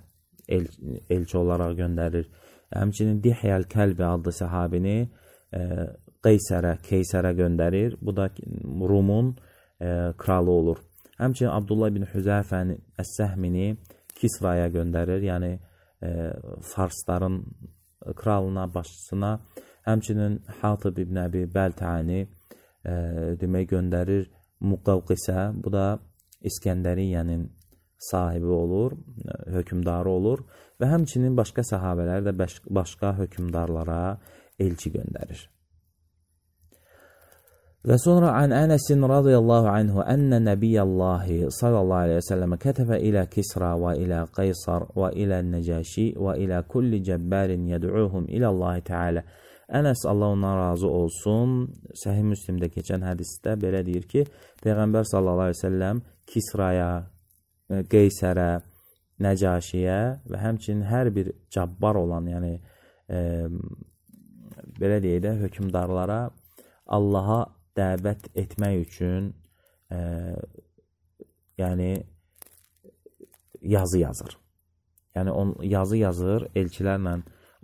elçi olaraq göndərir. Həmçinin Dihyəl Kəlbi adlı səhabini Keysərə göndərir. Bu da Rumun kralı olur. Həmçinin Abdullah ibn Hüzəfəni Əs-Səhmini Kisraya göndərir. Yəni Farsların kralına, başçısına, həmçinin Hatib ibn Əbi Bəltəni demək göndərir Muqavqisə. Bu da İskəndəriyyənin sahibi olur, hökümdarı olur və həmçinin başqa səhabələr də başqa hökümdarlara elçi göndərir. Və sonra an Ənəsin radiyallahu anhu ənə Nəbiyyəllahi sallallahu aleyhi və səlləmə kətəfə ilə Kisra və ilə Qaysar və ilə Nəcəşi və ilə kulli cəbbərin yəd'uhum iləllahi teala. Ənəs Allah ondan razı olsun, Səhih Müslimdə keçən hədisdə belə deyir ki, Peyğəmbər sallallahu aleyhi və səlləm Kisraya, Qeysərə, Nəcəşiyə və həmçinin hər bir cəbbar olan, yəni belə deyək də, hökümdarlara Allaha dəvət etmək üçün yəni yazı yazır. Yəni yazı yazır, elçilərlə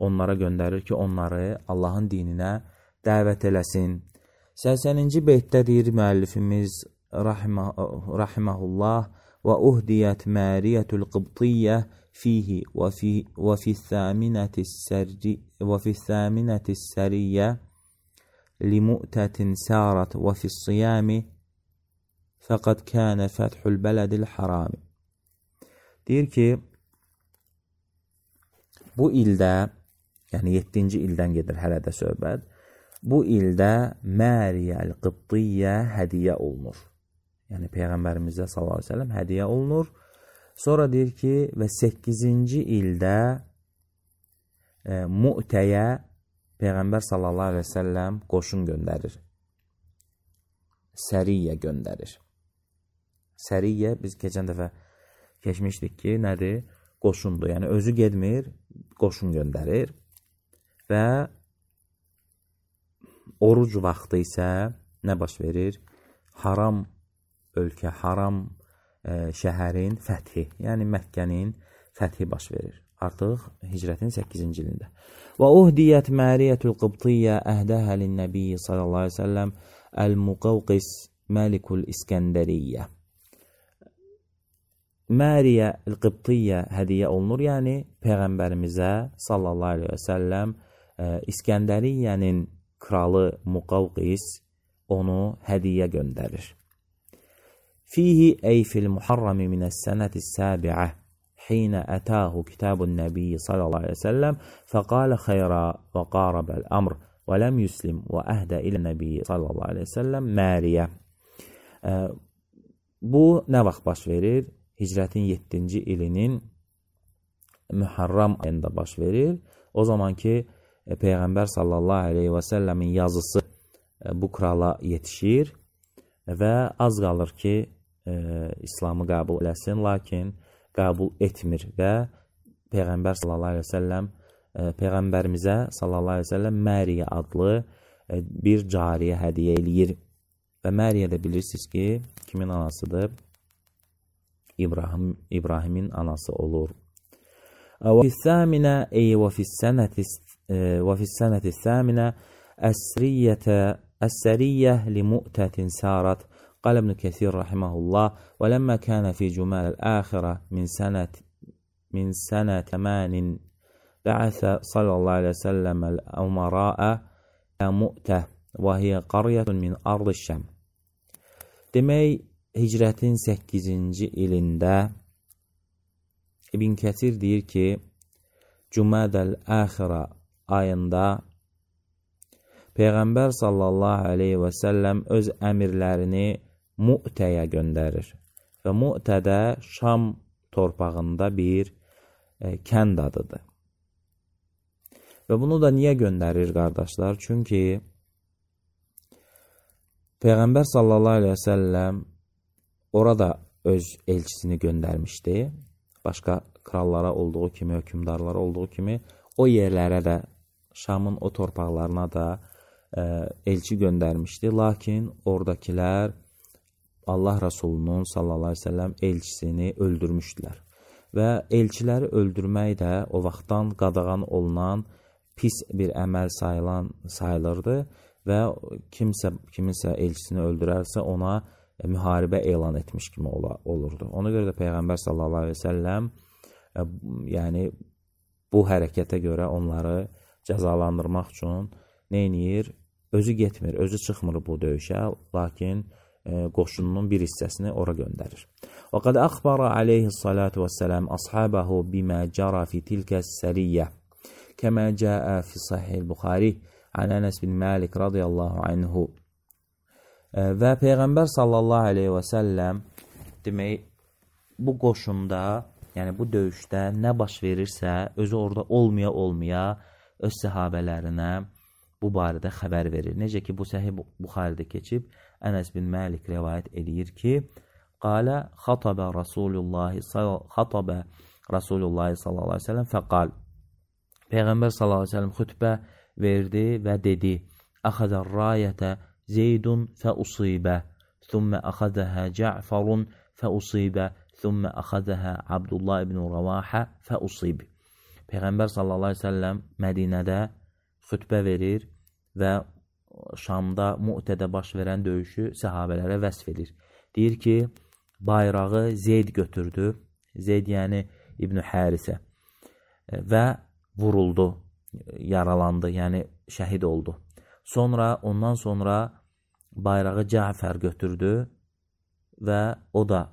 onlara göndərir ki, onları Allahın dininə dəvət eləsin. 80-ci beytdə deyir müəllifimiz rahiməhullah və uhdiyət məriyyətül qıbtiyyə fihi və fi thəminəti səriyyə لمؤتة سارت وفي الصيام فقد كان فتح البلد الحرام. Deyir ki, bu ildə, yəni 7-ci ildən gedir hələ də söhbət, bu ildə Məriyyəl Qıbtiyyə hədiyyə olunur. Yəni Peyğəmbərimizə sallallahu aleyhi ve sellem hədiyyə olunur. Sonra deyir ki, və 8-ci ildə Mu'təyə Peyğəmbər sallallahu aleyhi ve sellem qoşun göndərir. Səriyyə göndərir. Səriyyə, biz keçən dəfə keçmişdik ki, nədir? Qoşundur. Yəni, özü gedmir, qoşun göndərir. Və oruc vaxtı isə nə baş verir? Haram ölkə, haram şəhərin fəthi, yəni Məkkənin fəthi baş verir. Artıq hicrətin 8-ci ilində. Və uhdiyyət məriyyətül qıbtiyyə əhdəhə linnəbiyyə sallallahu aleyhi ve sellem əl-Muqavqis məlikul İskəndəriyyə. Məriyyə el-Qıbtiyyə hədiyyə olunur, yəni Peyğəmbərimizə sallallahu aleyhi ve sellem İskəndəriyyənin kralı Muqavqis onu hədiyyə göndərir. Fihi ey fil muharrami minəs sənəti səbi'ə حين أتاه كتاب النبي صلى الله عليه وسلم فقال خيرا وقارب الأمر ولم يسلم وأهدى إلى النبي صلى الله عليه وسلم Məriyə. Bu nə vaxt baş verir? Hicrətin 7-ci ilinin Müharram ayında baş verir. O zaman ki Peyğəmbər sallallahu aleyhi və səlləmin yazısı bu krala yetişir və az qalır ki İslamı qəbul eləsin, lakin qəbul etmir və Peyğəmbər sallallahu aleyhi və səlləm Peyğəmbərimizə sallallahu aleyhi və səlləm Məriyyə adlı bir cariyə hədiyyə eləyir. Və Məriyyə də bilirsiniz ki, kimin anasıdır? İbrahimin anası olur. Və fi sənəti thəminə əs-səriyyə li mu'tətin sarat. قال ابن كثير رحمه الله ولما كان في جمال الآخرة من سنة 8 بعث صلى الله عليه وسلم الأمراء إلى مؤتة وهي قرية من أرض الشام. Demək, hicrətin 8-ci ilində İbn Kəsir deyir ki, Cümədəl Əxirə ayında Peyğəmbər sallallahu aleyhi və səlləm öz əmirlərini Mu'təyə göndərir. Və Mu'tədə Şam torpağında bir kənd adıdır. Və bunu da niyə göndərir, qardaşlar? Çünki Peyğəmbər sallallahu aleyhi və səlləm orada öz elçisini göndərmişdi. Başqa krallara olduğu kimi, hökümdarlara olduğu kimi o yerlərə də, Şamın o torpaqlarına da elçi göndərmişdi. Lakin oradakilər Allah Rasulunun sallallahu aleyhi ve sellem elçisini öldürmüşdülər. Və elçiləri öldürmək də o vaxtdan qadağan olunan pis bir əməl sayılırdı və kiminsə elçisini öldürərsə ona müharibə elan etmiş kimi olurdu. Ona görə də Peyğəmbər sallallahu aleyhi ve sellem yəni bu hərəkətə görə onları cəzalandırmaq üçün nə edir? Özü getmir, özü çıxmır bu döyüşə, lakin qoşununun bir hissəsini ora göndərir. Və qad əxbara aleyhissalatu vesselam ashabahu bima jara fi tilka as-sariyyə kama jaa fi sahih Buxari an Anas bin Malik radiyallahu anhu. Və Peyğəmbər sallallahu aleyhi və səlləm demək, bu qoşunda, yəni bu döyüşdə nə baş verirsə, özü orada olmaya öz səhabələrinə bu barədə xəbər verir. Necə ki, bu Səhih Buxaridə keçib, Ənəs bin Məlik rivayət edir ki, qalə xatabə Rasulullah sallallahu aleyhi ve sellem fəqal. Peyğəmbər sallallahu aleyhi ve sellem xütbə verdi və dedi, əxəzər rayətə Zeydun fəusibə, thümmə əxəzəhə Cə'farun fəusibə, thümmə əxəzəhə Abdullah ibn Rəvahə fəusib. Peyğəmbər sallallahu aleyhi ve sellem Mədinədə xütbə verir və Şamda, Mu'tədə baş verən döyüşü səhabələrə vəsf edir. Deyir ki, bayrağı Zeyd götürdü, Zeyd yəni İbn Hərisə və vuruldu, yaralandı, yəni şəhid oldu. Ondan sonra bayrağı Cəfər götürdü və o da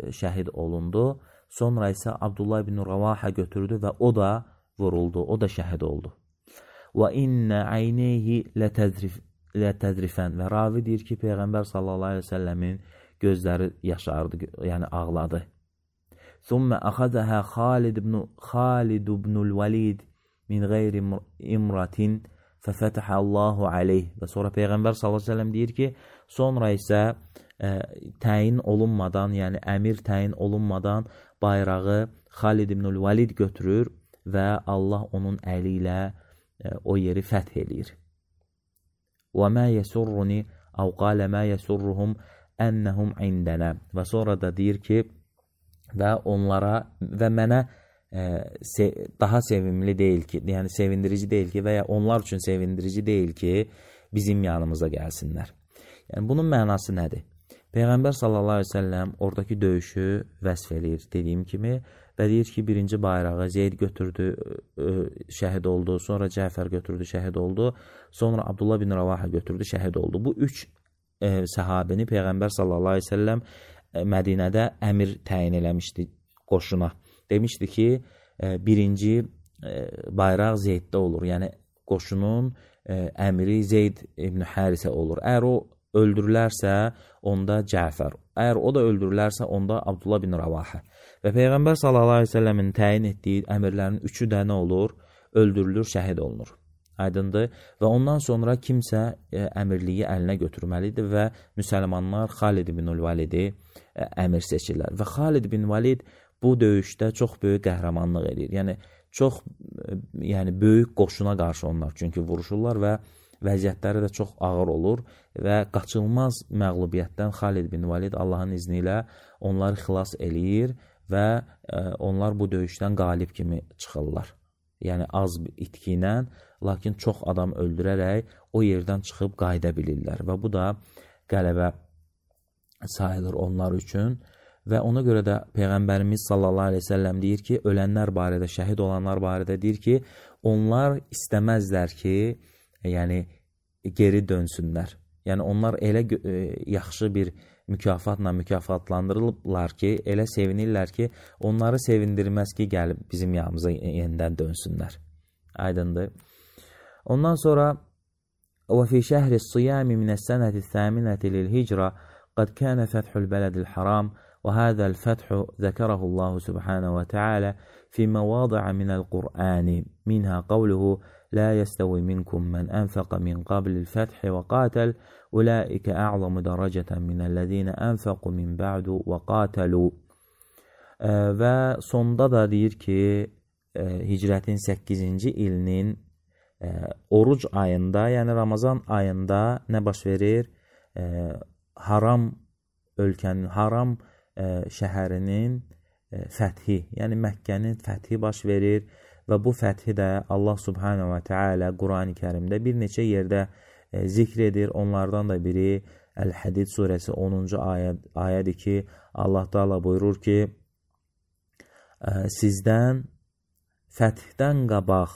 şəhid olundu. Sonra isə Abdullah ibn Rəvahə götürdü və o da vuruldu, o da şəhid oldu. Və innə əyneyhi lətəzrifən və ravi deyir ki, Peyğəmbər sallallahu aleyhi ve səlləmin gözləri yaşardı, yəni ağladı. Thumma əxəzəhə Xalid ibnul Valid min qeyri imratin fəfətəhə Allahu aleyh. Və sonra Peyğəmbər sallallahu aleyhi ve səlləm deyir ki, sonra isə təyin olunmadan, yəni əmir təyin olunmadan bayrağı Xalid ibnul Valid götürür və Allah onun əli ilə o yeri fəth eləyir. Və mə yəsurruni əv qalə mə yəsurruhum ennəhum indənə. Və sonra da deyir ki, və onlara və mənə daha sevimli deyil ki, yəni sevindirici deyil ki, və ya onlar üçün sevindirici deyil ki, bizim yanımıza gəlsinlər. Yəni bunun mənası nədir? Peyğəmbər sallallahu aleyhi ve selləm oradakı döyüşü vəsf eləyir dediyim kimi və deyir ki, birinci bayrağı Zeyd götürdü, şəhid oldu, sonra Cəfər götürdü, şəhid oldu, sonra Abdullah bin Rəvahə götürdü, şəhid oldu. Bu üç səhabini Peyğəmbər sallallahu aleyhi ve selləm Mədinədə əmir təyin eləmişdi qoşuna. Demişdi ki, birinci bayraq Zeyddə olur, yəni qoşunun əmiri Zeyd ibn Hərisə olur. Əgər o öldürülərsə, onda Cəfər. Əgər o da öldürülərsə, onda Abdullah bin Rəvahə. Və Peyğəmbər sallallahu aleyhi ve sellemin təyin etdiyi əmirlərin üçü də nə olur? Öldürülür, şəhid olunur. Aydındır. Və ondan sonra kimsə əmirliyi əlinə götürməlidir və müsəlmanlar Xalid ibn Validi əmir seçirlər. Və Xalid ibn Valid bu döyüşdə çox böyük qəhrəmanlıq edir. Yəni, çox böyük qoşuna qarşı onlar çünki vuruşurlar və vəziyyətləri də çox ağır olur və qaçılmaz məğlubiyyətdən Xalid bin Valid Allahın izni ilə onları xilas eləyir və onlar bu döyüşdən qalib kimi çıxırlar. Yəni az itki ilə, lakin çox adam öldürərək o yerdən çıxıb qayıda bilirlər və bu da qələbə sayılır onlar üçün. Və ona görə də Peyğəmbərimiz sallallahu aleyhi ve sellem deyir ki, ölənlər barədə, şəhid olanlar barədə deyir ki, onlar istəməzlər ki, yəni geri dönsünlər. Yəni onlar elə yaxşı bir mükafatla mükafatlandırırlar ki, elə sevinirlər ki, onları sevindirməz ki, gəlib bizim yanımıza yenidən dönsünlər. Aydındır. Ondan sonra və fi şəhri s-siyami minəs-sənəti s-səminəti lil-hicra qad kənə fəthul bələdil haram وهذا الفتح ذكره الله سبحانه وتعالى في مواضع من القرآن منها قوله لا يستوي منكم من أنفق من قبل الفتح وقاتل أولئك أعظم درجة من الذين أنفقوا من بعد وقاتلوا. Və sonda da deyir ki, hicrətin 8-ci ilinin oruc ayında, yəni Ramazan ayında nə baş verir? Haram ölkənin, haram şəhərinin fəthi, yəni Məkkənin fəthi baş verir və bu fəthi də Allah subhanahu və teala Qurani Kərimdə bir neçə yerdə zikr edir. Onlardan da biri Əl-Hədid surəsi 10-cu ayədir ki, Allah Taala buyurur ki, sizdən fəthdən qabaq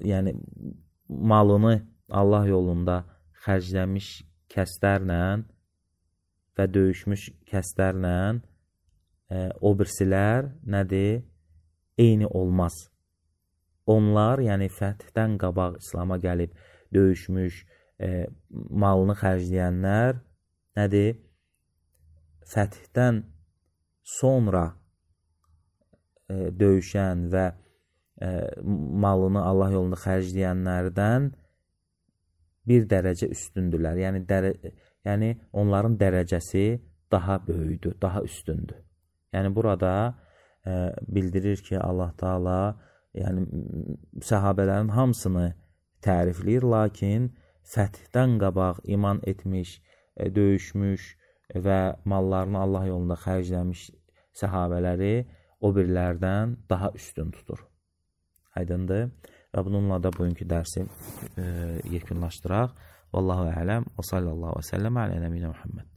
yəni malını Allah yolunda xərcləmiş kəslərlə və döyüşmüş kəslərlə o birisilər nədir? Eyni olmaz. Onlar, yəni fəthdən qabaq İslam'a gəlib döyüşmüş, malını xərcləyənlər nədir? Fəthdən sonra döyüşən və malını Allah yolunda xərcləyənlərdən bir dərəcə üstündürlər. Yəni onların dərəcəsi daha böyükdür, daha üstündür. Yəni burada bildirir ki, Allah Taala yəni səhabələrin hamısını tərifləyir, lakin fəthdən qabaq iman etmiş, döyüşmüş və mallarını Allah yolunda xərcləmiş səhabələri o birilərdən daha üstün tutur. Aydındır? Və bununla da bugünkü dərsi yekunlaşdıraq. Vallahu ələm və sallallahu və səlləm alə nəbiyyinə Muhammed.